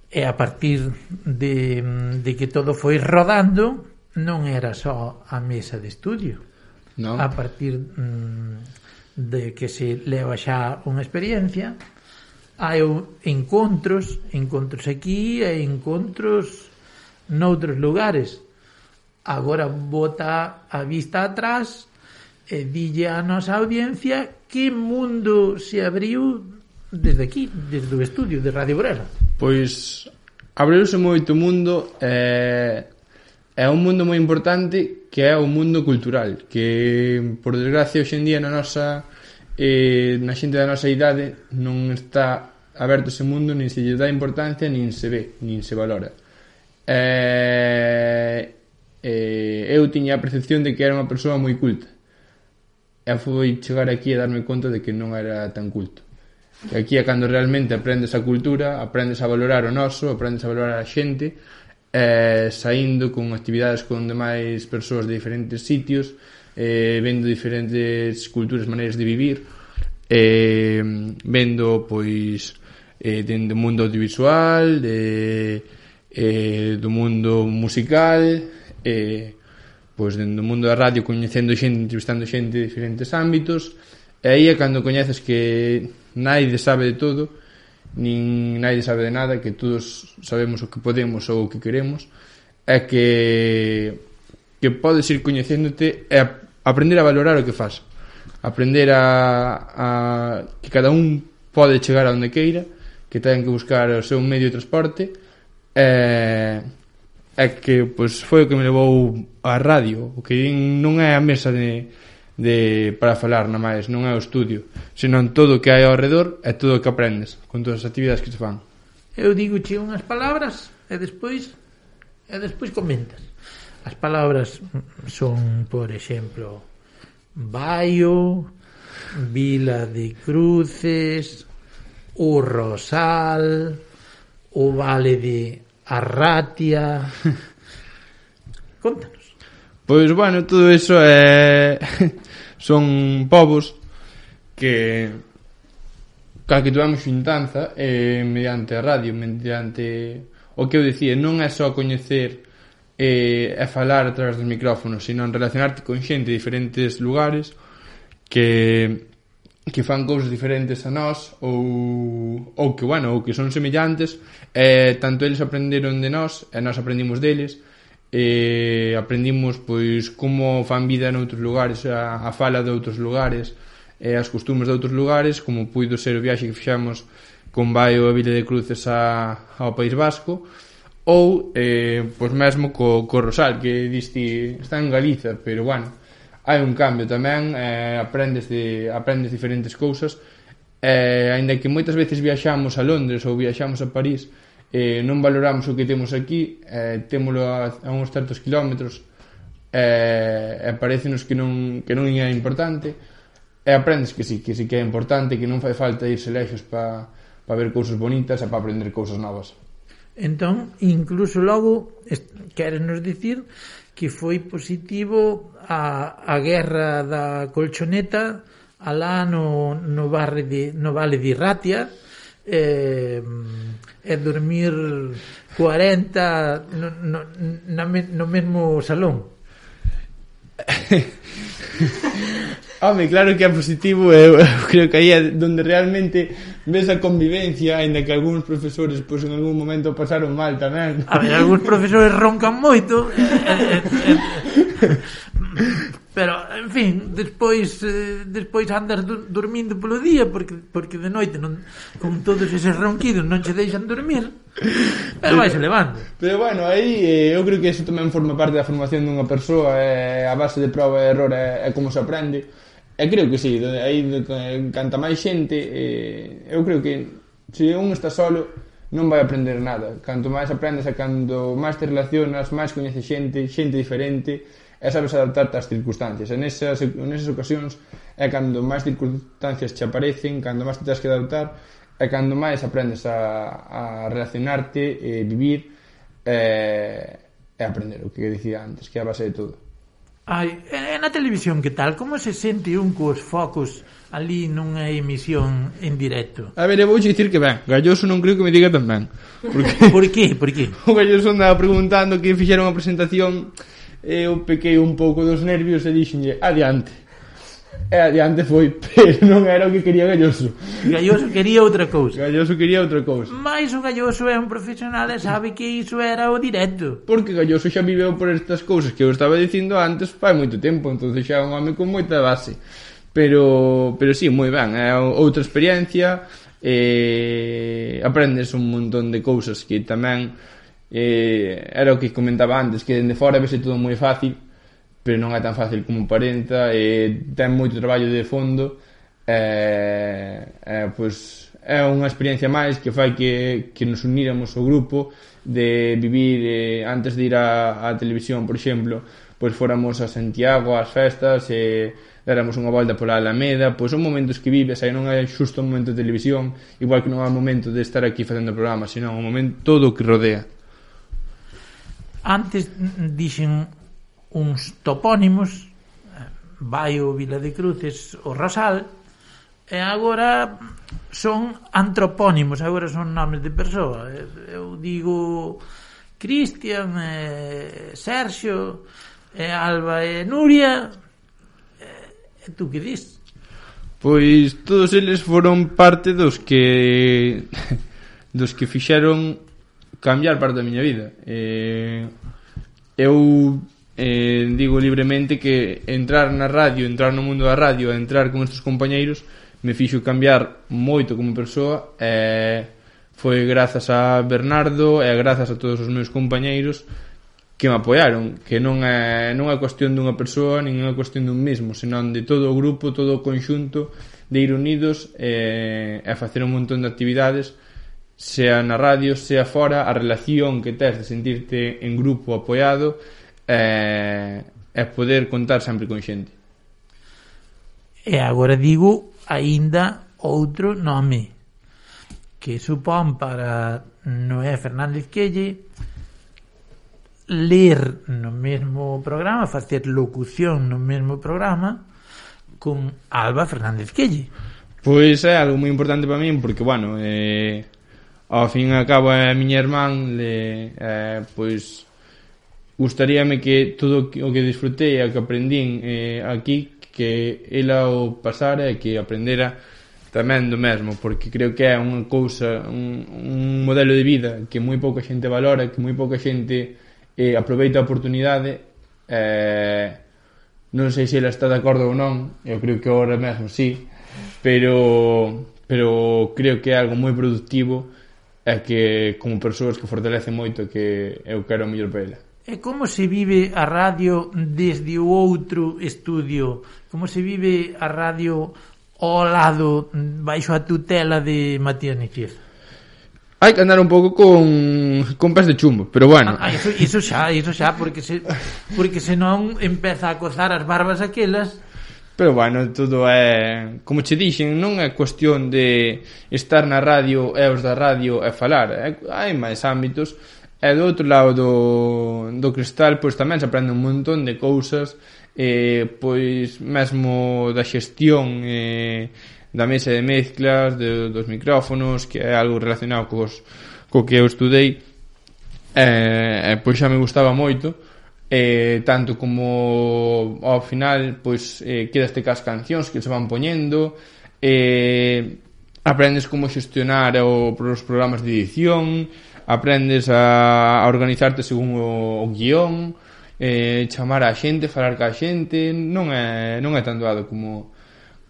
E a partir de, de que todo foi rodando, non era só a mesa de estudio. No. A partir mm, de que se leva xa unha experiencia, hai encontros, encontros aquí e encontros noutros lugares. Agora bota a vista atrás e dille a nosa audiencia que mundo se abriu desde aquí, desde o estudio de Radio Burela. Pois abriuse moito mundo, eh, é un mundo moi importante, que é o mundo cultural, que por desgracia hoxe en día na nosa eh, na xente da nosa idade non está aberto ese mundo, nin se lle dá importancia, nin se ve, nin se valora. Eh, eh, eu tiña a percepción de que era unha persoa moi culta, e foi chegar aquí a darme conta de que non era tan culto. Que aquí é cando realmente aprendes a cultura, aprendes a valorar o noso, aprendes a valorar a xente, eh, saindo con actividades con demais persoas de diferentes sitios, eh, vendo diferentes culturas, maneiras de vivir, eh, vendo pois eh, dentro do mundo audiovisual, de, eh, do mundo musical, eh, pois dentro do mundo da radio, coñecendo xente, entrevistando xente de diferentes ámbitos. E aí é cando coñeces que naide sabe de todo, nin naide sabe de nada, que todos sabemos o que podemos ou o que queremos, é que que podes ir coñecéndote e aprender a valorar o que faz, aprender a, a que cada un pode chegar a onde queira, que ten que buscar o seu medio de transporte, e, e que pois, foi o que me levou á radio, o que non é a mesa de, de para falar na máis, non é o estudio, senón todo o que hai ao redor e todo o que aprendes con todas as actividades que se fan. Eu digo che unhas palabras e despois e despois comentas. As palabras son, por exemplo, Baio, Vila de Cruces, o Rosal, o vale de Arratia. Contanos. Pois, bueno, todo iso é... son povos que ca que tuvemos xuntanza eh, mediante a radio, mediante o que eu dicía, non é só coñecer e eh, falar a través dos micrófonos, sino relacionarte con xente de diferentes lugares que que fan cousas diferentes a nós ou, ou que, bueno, ou que son semellantes, eh, tanto eles aprenderon de nós e nós aprendimos deles, e aprendimos pois como fan vida noutros lugares, a, a fala de outros lugares e as costumes de outros lugares, como puido ser o viaxe que fixamos con Baio a Vila de Cruces a, ao País Vasco, ou eh, pois mesmo co, co Rosal, que diste está en Galiza, pero bueno, hai un cambio tamén, eh, aprendes de aprendes diferentes cousas, eh, aínda que moitas veces viaxamos a Londres ou viaxamos a París, eh, non valoramos o que temos aquí, eh, témolo a, a uns certos kilómetros, eh, e parecenos que non, que non é importante, e aprendes que sí, que sí que é importante, que non fai falta irse lexos para pa ver cousas bonitas e para aprender cousas novas. Entón, incluso logo, queres nos dicir que foi positivo a, a guerra da colchoneta alá no, no, barre de, no vale de Ratia, e, e dormir cuarenta no, no, na, no mesmo salón. Home, claro que é positivo, eu, eu creo que aí é donde realmente ves a convivencia, ainda que algúns profesores pois en algún momento pasaron mal tamén. A ver, algúns profesores roncan moito, eh, eh, eh, pero, en fin, despois eh, despois andas do, dormindo polo día, porque porque de noite non, con todos eses ronquidos non che deixan dormir, pero vais levando. Pero bueno, aí eh, eu creo que eso tamén forma parte da formación dunha persoa, eh, a base de prova e error é, é como se aprende. E creo que sí, aí canta máis xente, eh, eu creo que se un está solo non vai aprender nada. Canto máis aprendes e cando máis te relacionas, máis coñeces xente, xente diferente, e sabes adaptarte ás circunstancias. En esas, en esas ocasións é cando máis circunstancias te aparecen, cando máis te tens que adaptar, e cando máis aprendes a, a relacionarte, e vivir e, e aprender o que dicía antes, que é a base de todo. Ai, e na televisión que tal? Como se sente un cos focos ali nunha emisión en directo? A ver, eu vou dicir que ben, Galloso non creo que me diga tan ben. Porque... Por qué? Por qué? O Galloso andaba preguntando que fixeron a presentación, e eu pequei un pouco dos nervios e dixenlle, adiante. E adiante foi, pero non era o que quería Galloso. Galloso quería outra cousa. Galloso quería outra cousa. Mais o Galloso é un profesional e sabe que iso era o directo. Porque Galloso xa viveu por estas cousas que eu estaba dicindo antes fai moito tempo, entonces xa é un home con moita base. Pero, pero sí, moi ben, é outra experiencia, e aprendes un montón de cousas que tamén eh, era o que comentaba antes, que dende fora vese todo moi fácil, pero non é tan fácil como parenta, e ten moito traballo de fondo, e, e pois é unha experiencia máis que fai que, que nos uníramos ao grupo, de vivir eh, antes de ir á, á televisión, por exemplo, pois fóramos a Santiago ás festas e déramos unha volta pola Alameda, pois son momentos que vives, aí non é xusto un momento de televisión, igual que non é un momento de estar aquí facendo o programa, sino un momento todo o que rodea. Antes dixen uns topónimos, Baio, Vila de Cruces, o Rosal, e agora son antropónimos, agora son nomes de persoa. Eu digo Cristian, e Sergio, e Alba e Nuria, e tú que dis? Pois todos eles foron parte dos que dos que fixeron cambiar parte da miña vida. E eu Eh, digo libremente que entrar na radio, entrar no mundo da radio, entrar con estes compañeiros me fixo cambiar moito como persoa, e foi grazas a Bernardo e grazas a todos os meus compañeiros que me apoiaron, que non é, non é cuestión dunha persoa, nin é cuestión dun mesmo, senón de todo o grupo, todo o conxunto de ir unidos e, e facer un montón de actividades, sea na radio, sea fora, a relación que tes de sentirte en grupo apoiado e, e poder contar sempre con xente. E agora digo aínda outro nome, que supón para Noé Fernández Quelle ler no mesmo programa, facer locución no mesmo programa con Alba Fernández Quelle. Pois é algo moi importante para min porque, bueno, eh, ao fin e ao cabo a miña irmán le, eh, pois gustaríame que todo o que disfrutei e o que aprendín eh, aquí que ela o pasara e que aprendera tamén do mesmo, porque creo que é unha cousa, un, un modelo de vida que moi pouca xente valora, que moi pouca xente eh, aproveita a oportunidade. eh, non sei se ela está de acordo ou non, eu creo que agora mesmo sí, pero pero creo que é algo moi productivo e que como persoas que fortalece moito que eu quero o mellor para ela. E como se vive a radio desde o outro estudio? Como se vive a radio ao lado, baixo a tutela de Matías Nichieza? Hai que andar un pouco con con pés de chumbo, pero bueno. Ah, iso, iso xa, iso xa, porque se porque senón empeza a cozar as barbas aquelas. Pero bueno, todo é, como che dixen, non é cuestión de estar na radio e os da radio e falar, é, hai máis ámbitos, e do outro lado do, do cristal pois tamén se aprende un montón de cousas, eh, pois mesmo da xestión eh, da mesa de mezclas, de, dos micrófonos, que é algo relacionado cos, co que eu estudei, e eh, pois xa me gustaba moito, eh, tanto como ao final pois eh, quedaste cas cancións que se van poñendo, eh, aprendes como xestionar o, os programas de edición, aprendes a, a organizarte según o, o guión, eh, chamar a xente, falar ca xente, non é, non é tan doado como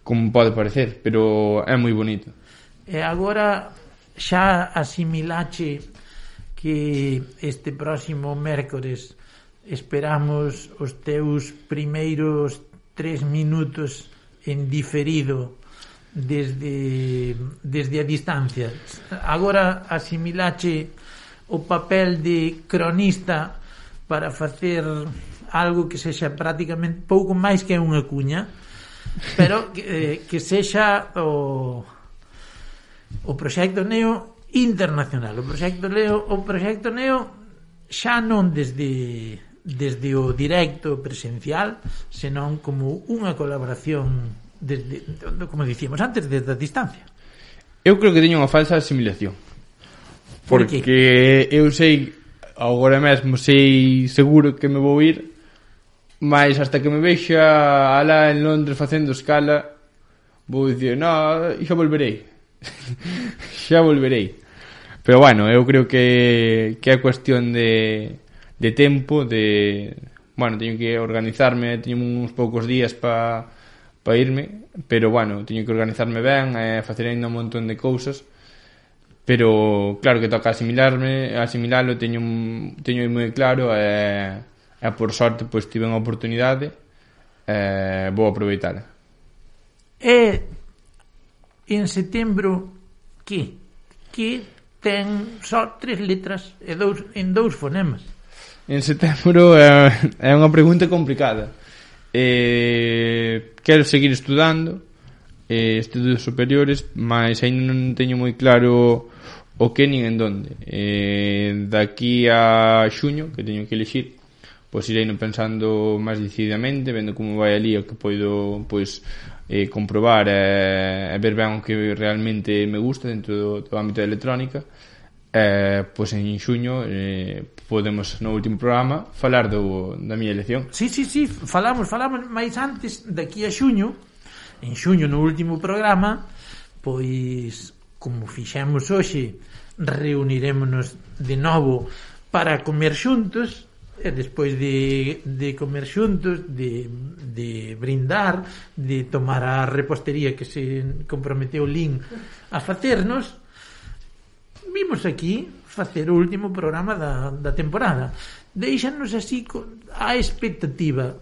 como pode parecer, pero é moi bonito. E agora xa asimilache que este próximo mércores esperamos os teus primeiros tres minutos en diferido desde desde a distancia. Agora asimilache o papel de cronista para facer algo que sexa prácticamente pouco máis que unha cuña, pero que, eh, que sexa o o proxecto Neo internacional, o proxecto Neo, o proxecto Neo xa non desde desde o directo presencial, senón como unha colaboración desde, como dicíamos antes, desde a distancia. Eu creo que teño unha falsa asimilación, porque eu sei, agora mesmo sei seguro que me vou ir, mas hasta que me vexa alá en Londres facendo escala vou dicir, no, xa volverei xa volverei, pero bueno, eu creo que que é cuestión de de tempo, de bueno, teño que organizarme, teño uns poucos días para pa irme, pero bueno, teño que organizarme ben e facer ainda un montón de cousas, pero claro que toca asimilarme, asimilalo, teño teño moi claro e e por sorte pois tive unha oportunidade e vou aproveitar. E en setembro que que ten só tres letras e dous en dous fonemas. En setembro é, é unha pregunta complicada. Eh, quero seguir estudando eh, estudos superiores, mas ainda non teño moi claro o que nin en donde. Eh, daqui a xuño, que teño que elixir, pois irei pensando máis decididamente, vendo como vai ali o que poido pois eh, comprobar e, e ver ben o que realmente me gusta dentro do, do ámbito da electrónica. Eh, pois en xuño eh, podemos no último programa falar do, da miña elección. Sí, sí, sí, falamos, falamos máis antes, daqui a xuño, en xuño no último programa, pois como fixemos hoxe, reunirémonos de novo para comer xuntos. E despois de, de comer xuntos, de, de brindar, de tomar a repostería que se comprometeu Lin a facernos, vimos aquí facer o último programa da, da temporada. Deixanos así a expectativa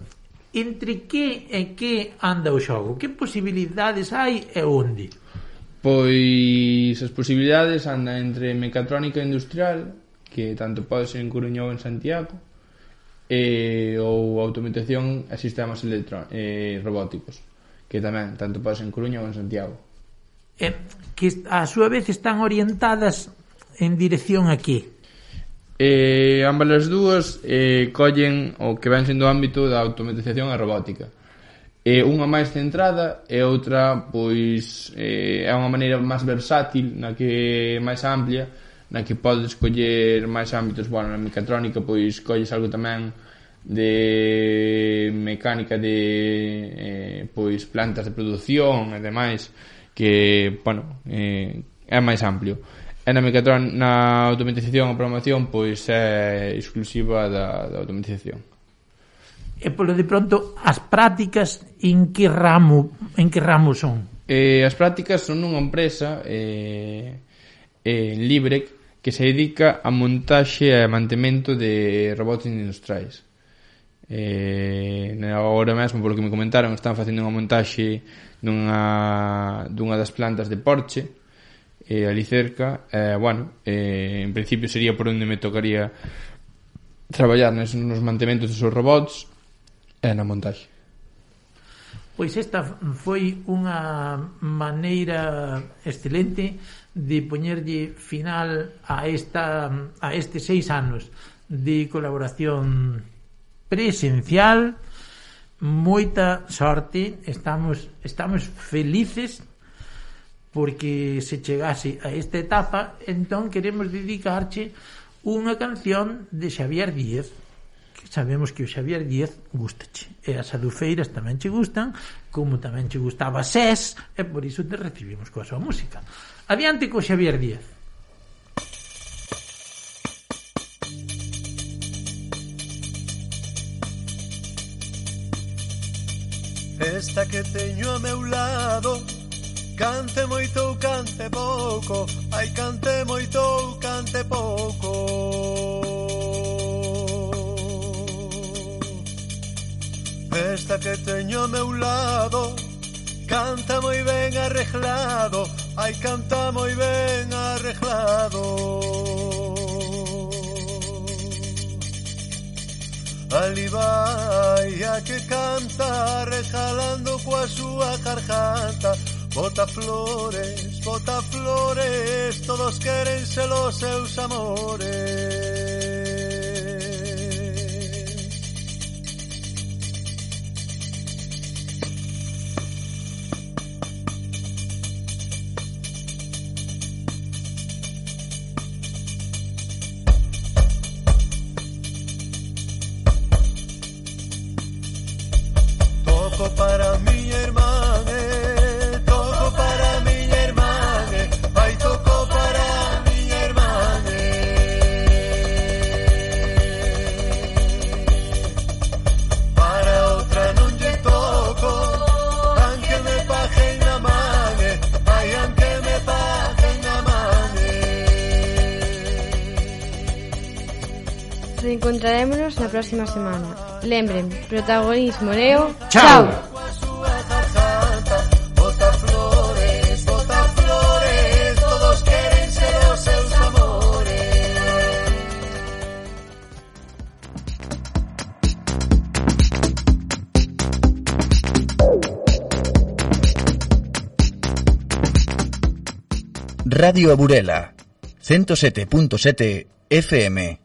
entre que e que anda o xogo, que posibilidades hai e onde? Pois as posibilidades andan entre mecatrónica industrial, que tanto pode ser en Coruña ou en Santiago, e, ou automatización e sistemas electro, eh, robóticos, que tamén tanto pode ser en Coruña ou en Santiago. eh, que a súa vez están orientadas en dirección a que? Eh, ambas as dúas eh, collen o que ven sendo o ámbito da automatización e robótica. Eh, unha máis centrada e outra pois eh, é unha maneira máis versátil, na que é máis amplia, na que podes coller máis ámbitos. Bueno, na mecatrónica pois colles algo tamén de mecánica de eh, pois plantas de produción e demais, que, bueno, eh, é máis amplio. E na mecatrónica, na automatización e programación, pois é exclusiva da, da automatización. E polo de pronto, as prácticas en que ramo, en que ramo son? Eh, as prácticas son nunha empresa eh, eh, libre que se dedica a montaxe e mantemento de robots industriais. Eh, agora mesmo, polo que me comentaron, están facendo unha montaxe dunha, dunha das plantas de Porsche, eh, ali cerca. Eh, bueno, eh, en principio sería por onde me tocaría traballar nos, nos mantementos dos seus robots e na montaxe. Pois esta foi unha maneira excelente de poñerlle final a esta a estes seis anos de colaboración presencial. Moita sorte, estamos estamos felices porque se chegase a esta etapa. Entón queremos dedicarche unha canción de Xavier Díez, que sabemos que o Xavier Díez gustache, e as adufeiras tamén che gustan, como tamén che gustaba SES, e por iso te recibimos coa súa música. Adiante co Xavier Díez. Esta que teño a meu lado, cante moito ou cante pouco, ai cante moito ou cante pouco. Esta que teño a meu lado, canta moi ben arreglado, ai canta moi ben arreglado. Ali vai a que canta, regalando coa súa garganta. Bota flores, bota flores, todos queren ser os seus amores. Toco para mi hermana, eh, toco para mi hermana, eh, ay toco para mi hermana. Eh. Para outra non lle toco, aunque me paguen na man, eh, ay aunque me paguen na man. Eh. Reencontrarémonos na próxima semana. Lembren, protagonismo Neo. Chao. Bota flores, bota flores, todos queren ser os seus amores. Radio Burela, ciento sete punto sete F M.